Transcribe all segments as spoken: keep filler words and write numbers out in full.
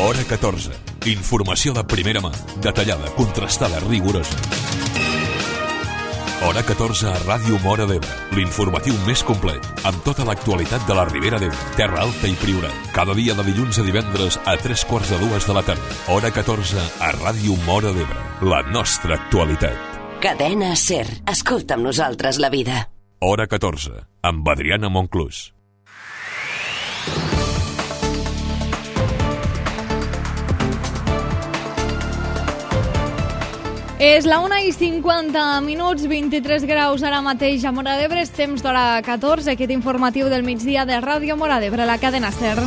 Hora catorze. Informació de primera mà, detallada, contrastada, rigorosa. Hora catorze a Ràdio Móra d'Ebre, l'informatiu més complet, amb tota l'actualitat de la Ribera d'Ebre, Terra Alta i Priorat. Cada dia de dilluns a divendres a tres quarts de dues de la tarda. Hora catorze a Ràdio Móra d'Ebre, la nostra actualitat. Cadena SER. Escolta amb nosaltres la vida. Hora catorze, amb Adriana Monclús. És la una i cinquanta minuts, vint-i-tres graus ara mateix a Móra d'Ebre. És temps d'hora catorze, aquest informatiu del migdia de Ràdio Móra d'Ebre, la cadena SER.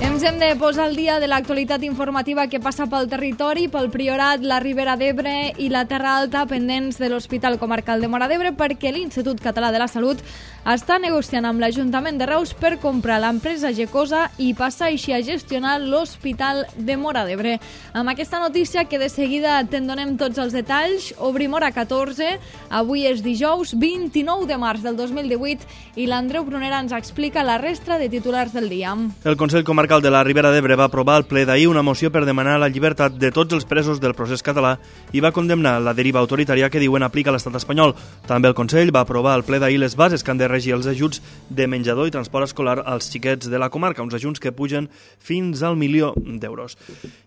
Ens hem de posar al dia de l'actualitat informativa que passa pel territori, pel Priorat, la Ribera d'Ebre i la Terra Alta, pendents de l'Hospital Comarcal de Móra d'Ebre, perquè l'Institut Català de la Salut està negociant amb l'Ajuntament de Reus per comprar l'empresa Gecosa i passar així a gestionar l'Hospital de Móra d'Ebre. Amb aquesta notícia, que de seguida te'n donem tots els detalls, obrim Hora catorze, avui és dijous vint-i-nou de març del dos mil divuit i l'Andreu Brunera ens explica la resta de titulars del dia. El Consell Comarcal de la Ribera d'Ebre va aprovar al ple d'ahir una moció per demanar la llibertat de tots els presos del procés català i va condemnar la deriva autoritària que diuen aplica l'estat espanyol. També el Consell va aprovar al ple d'ahir les bases que han de regir els ajuts de menjador i transport escolar als xiquets de la comarca, uns ajuts que pugen fins al milió d'euros.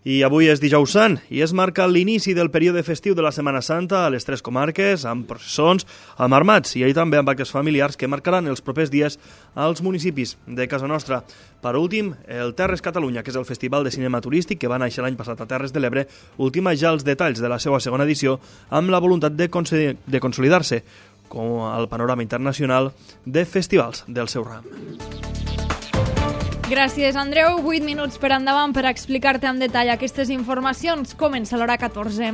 I avui és dijous sant i es marca l'inici del període festiu de la Setmana Santa a les tres comarques, amb processons, amb armats i ahir també amb actes familiars que marcaran els propers dies als municipis de casa nostra. Per últim, el Terres Catalunya, que és el festival de cinema turístic que va néixer l'any passat a Terres de l'Ebre, ultima ja els detalls de la seva segona edició amb la voluntat de, de consolidar-se com al panorama internacional de festivals del seu ram. Gràcies, Andreu. vuit minuts per endavant per explicar-te en detall aquestes informacions. Comença l'Hora catorze.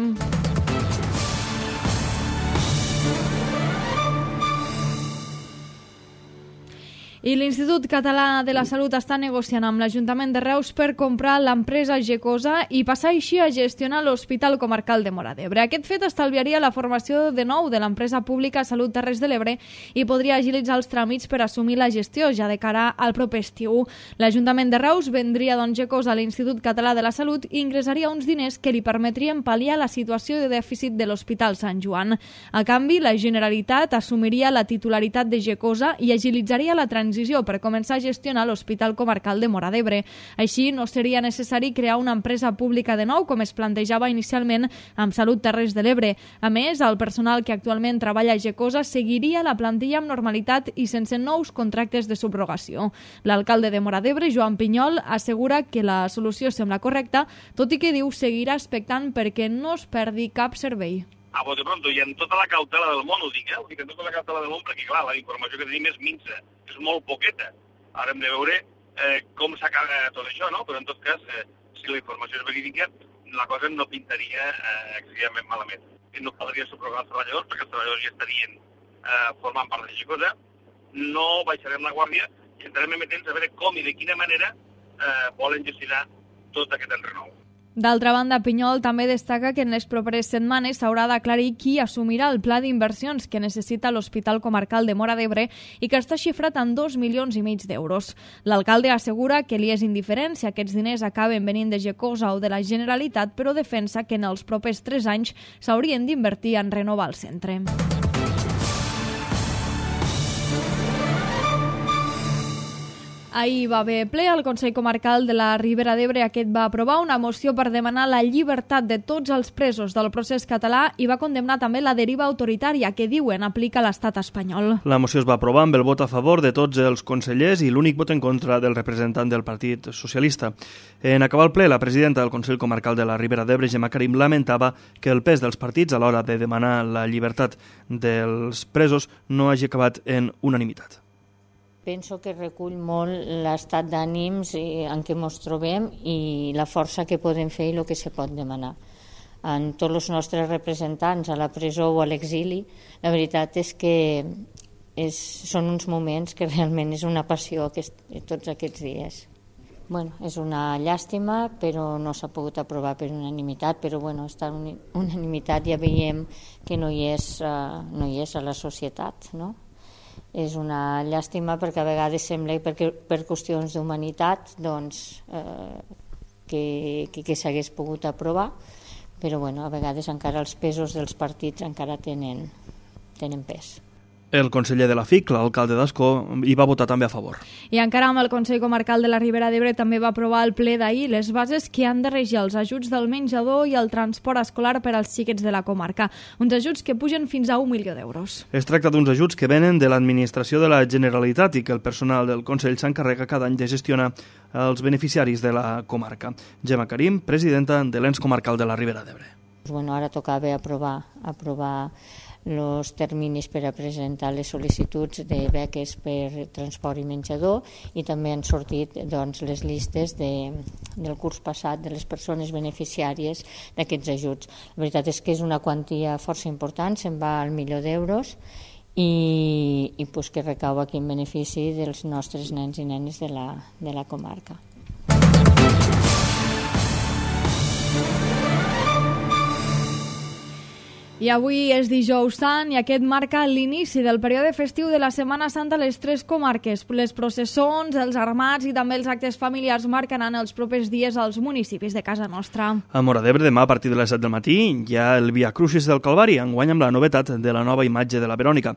I l'Institut Català de la Salut està negociant amb l'Ajuntament de Reus per comprar l'empresa Gecosa i passar així a gestionar l'Hospital Comarcal de Móra d'Ebre. Aquest fet estalviaria la formació de nou de l'empresa pública Salut Terres de l'Ebre i podria agilitzar els tràmits per assumir la gestió ja de cara al proper estiu. L'Ajuntament de Reus vendria doncs Gecosa a l'Institut Català de la Salut i ingressaria uns diners que li permetrien pal·liar la situació de dèficit de l'Hospital Sant Joan. A canvi, la Generalitat assumiria la titularitat de Gecosa i agilitzaria la transició per començar a gestionar l'Hospital Comarcal de Móra d'Ebre. Així, no seria necessari crear una empresa pública de nou, com es plantejava inicialment amb Salut Terres de l'Ebre. A més, el personal que actualment treballa a Gecosa seguiria la plantilla amb normalitat i sense nous contractes de subrogació. L'alcalde de Móra d'Ebre, Joan Pinyol, assegura que la solució sembla correcta, tot i que diu seguirà expectant perquè no es perdi cap servei. A bote pronto, i amb tota la cautela del món, ho dic, eh? Ho dic amb tota la cautela del món, perquè, clar, la informació que tenim és minsa, és molt poqueta. Ara hem de veure eh, com s'acaba tot això, no? Però, en tot cas, eh, si la informació és verídica, la cosa no pintaria eh, excessivament malament. I no caldria subrogar els treballadors, perquè els treballadors ja estarien eh, formant part de Gecosa. No baixarem la guàrdia i entrarem amatents a veure com i de quina manera eh, volen gestionar tot aquest enrenou. D'altra banda, Pinyol també destaca que en les properes setmanes s'haurà d'aclarir qui assumirà el pla d'inversions que necessita l'Hospital Comarcal de Móra d'Ebre i que està xifrat en dos milions i mig d'euros. L'alcalde assegura que li és indiferent si aquests diners acaben venint de Gecosa o de la Generalitat, però defensa que en els propers tres anys s'haurien d'invertir en renovar el centre. Ahir va haver ple al Consell Comarcal de la Ribera d'Ebre. Aquest va aprovar una moció per demanar la llibertat de tots els presos del procés català i va condemnar també la deriva autoritària que diuen aplica l'estat espanyol. La moció es va aprovar amb el vot a favor de tots els consellers i l'únic vot en contra del representant del Partit Socialista. En acabar el ple, la presidenta del Consell Comarcal de la Ribera d'Ebre, Gemma Karim, lamentava que el pes dels partits a l'hora de demanar la llibertat dels presos no hagi acabat en unanimitat. Penso que recull molt l'estat d'ànims en què ens trobem i la força que podem fer i el que se pot demanar. En tots els nostres representants a la presó o a l'exili, la veritat és que és, són uns moments que realment és una passió aquest, tots aquests dies. Bueno, és una llàstima, però no s'ha pogut aprovar per unanimitat, però bueno, esta unanimitat ja veiem que no hi és, uh, no hi és a la societat, no? És una llàstima perquè a vegades sembla que per, per qüestions d'humanitat doncs, eh, que, que, que s'hagués pogut aprovar, però bueno, a vegades encara els pesos dels partits encara tenen, tenen pes. El conseller de la F I C, l'alcalde d'Ascó, hi va votar també a favor. I encara amb el Consell Comarcal de la Ribera d'Ebre també va aprovar el ple d'ahir les bases que han de regir els ajuts del menjador i el transport escolar per als xiquets de la comarca. Uns ajuts que pugen fins a un milió d'euros. Es tracta d'uns ajuts que venen de l'administració de la Generalitat i que el personal del Consell s'encarrega cada any de gestionar els beneficiaris de la comarca. Gemma Karim, presidenta de l'Ens Comarcal de la Ribera d'Ebre. Bueno, ara tocava aprovar, aprovar els terminis per a presentar les sol·licituds de beques per transport i menjador i també han sortit doncs, les llistes de, del curs passat de les persones beneficiàries d'aquests ajuts. La veritat és que és una quantia força important, se'n va al milió d'euros i, i pues, que recau aquí en benefici dels nostres nens i nenes de la, de la comarca. I avui és dijous sant i aquest marca l'inici del període festiu de la Setmana Santa a les tres comarques. Les processons, els armats i també els actes familiars marcaran els propers dies als municipis de casa nostra. A Móra d'Ebre, demà a partir de les set del matí, hi ha el Via Crucis del Calvari, enguany amb la novetat de la nova imatge de la Verònica.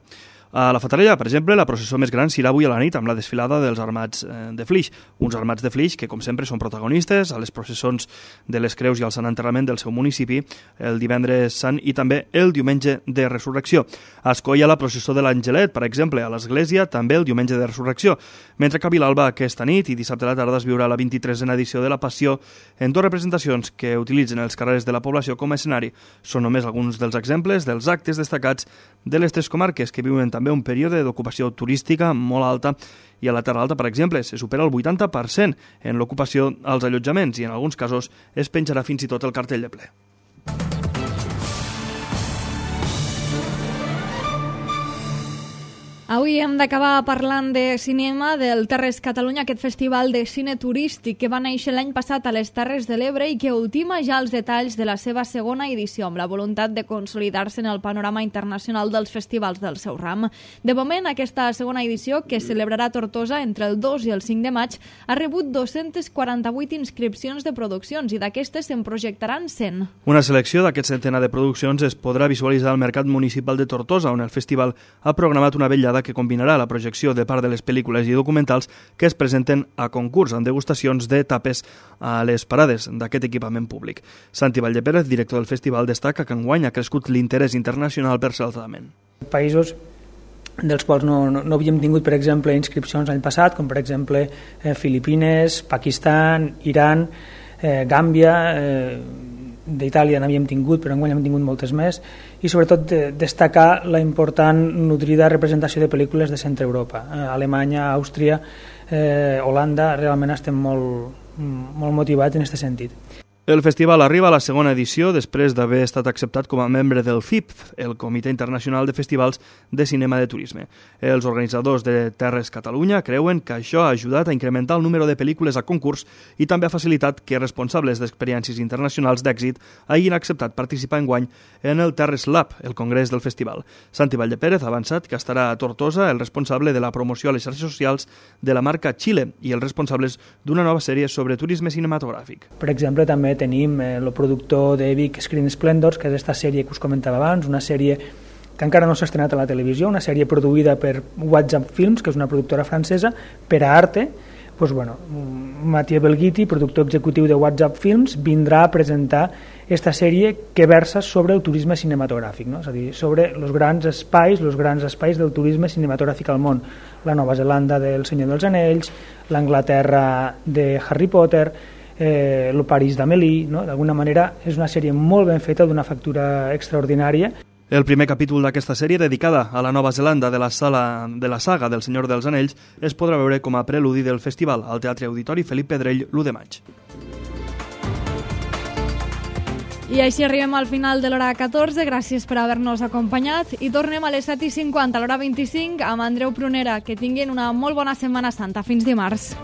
A la Fatarella, per exemple, la processó més gran serà avui a la nit amb la desfilada dels armats de Flix. Uns armats de Flix que, com sempre, són protagonistes a les processons de les Creus i al Sant Enterrament del seu municipi el divendres sant i també el diumenge de Resurrecció. A Ascó hi ha la processó de l'Angelet, per exemple, a l'església també el diumenge de Resurrecció. Mentre que a Vilalba aquesta nit i dissabte a la tarda es viurà la vint-i-tresena edició de la Passió en dues representacions que utilitzen els carrers de la població com a escenari. Són només alguns dels exemples dels actes destacats de les tres comarques que viuen també un període d'ocupació turística molt alta i a la Terra Alta, per exemple, se supera el vuitanta per cent en l'ocupació als allotjaments i en alguns casos es penjarà fins i tot el cartell de ple. Avui hem d'acabar parlant de cinema, del Terres Catalunya, aquest festival de cine turístic que va néixer l'any passat a les Terres de l'Ebre i que ultima ja els detalls de la seva segona edició, amb la voluntat de consolidar-se en el panorama internacional dels festivals del seu ram. De moment, aquesta segona edició, que celebrarà a Tortosa entre el dos i el cinc de maig, ha rebut dos-centes quaranta-vuit inscripcions de produccions i d'aquestes se'n projectaran cent. Una selecció d'aquest centenar de produccions es podrà visualitzar al Mercat Municipal de Tortosa, on el festival ha programat una vetllada que combinarà la projecció de part de les pel·lícules i documentals que es presenten a concurs amb degustacions de tapes a les parades d'aquest equipament públic. Santi Valldepérez, director del festival, destaca que enguany ha crescut l'interès internacional per certament. Països dels quals no, no, no havíem tingut, per exemple, inscripcions l'any passat, com per exemple eh, Filipines, Pakistan, Iran, eh, Gàmbia, eh, d'Itàlia n'havíem tingut, però enguany hem tingut moltes més, i sobretot de, destacar la important nutrida representació de pel·lícules de Centre Europa. Eh, Alemanya, Àustria, eh, Holanda, realment estem molt, molt motivats en aquest sentit. El festival arriba a la segona edició després d'haver estat acceptat com a membre del C I P, el Comitè Internacional de Festivals de Cinema de Turisme. Els organitzadors de Terres Catalunya creuen que això ha ajudat a incrementar el número de pel·lícules a concurs i també ha facilitat que responsables d'experiències internacionals d'èxit hagin acceptat participar enguany en el Terres Lab, el congrés del festival. Santi Valldepérez ha avançat que estarà a Tortosa el responsable de la promoció a les xarxes socials de la marca Xile i els responsables d'una nova sèrie sobre turisme cinematogràfic. Per exemple, també tenim el productor de Vic Screen Splendors, que és aquesta sèrie que us comentava abans, una sèrie que encara no s'ha estrenat a la televisió, una sèrie produïda per WhatsApp Films, que és una productora francesa, per a Arte. Pues bueno, Mathieu Belghiti, productor executiu de WhatsApp Films, vindrà a presentar aquesta sèrie que versa sobre el turisme cinematogràfic, no? És a dir, sobre els grans espais, els grans espais del turisme cinematogràfic al món. La Nova Zelanda del Senyor dels Anells, l'Anglaterra de Harry Potter, eh, el París d'Amélie, no? D'alguna manera és una sèrie molt ben feta, d'una factura extraordinària. El primer capítol d'aquesta sèrie, dedicada a la Nova Zelanda de la, sala, de la saga del Senyor dels Anells, es podrà veure com a preludi del festival al Teatre Auditori Felip Pedrell l'u de maig. I així arribem al final de l'hora catorze, gràcies per haver-nos acompanyat i tornem a les set i cinquanta, a l'hora vint-i-cinc, amb Andreu Prunera. Que tinguin una molt bona Setmana Santa. Fins dimarts.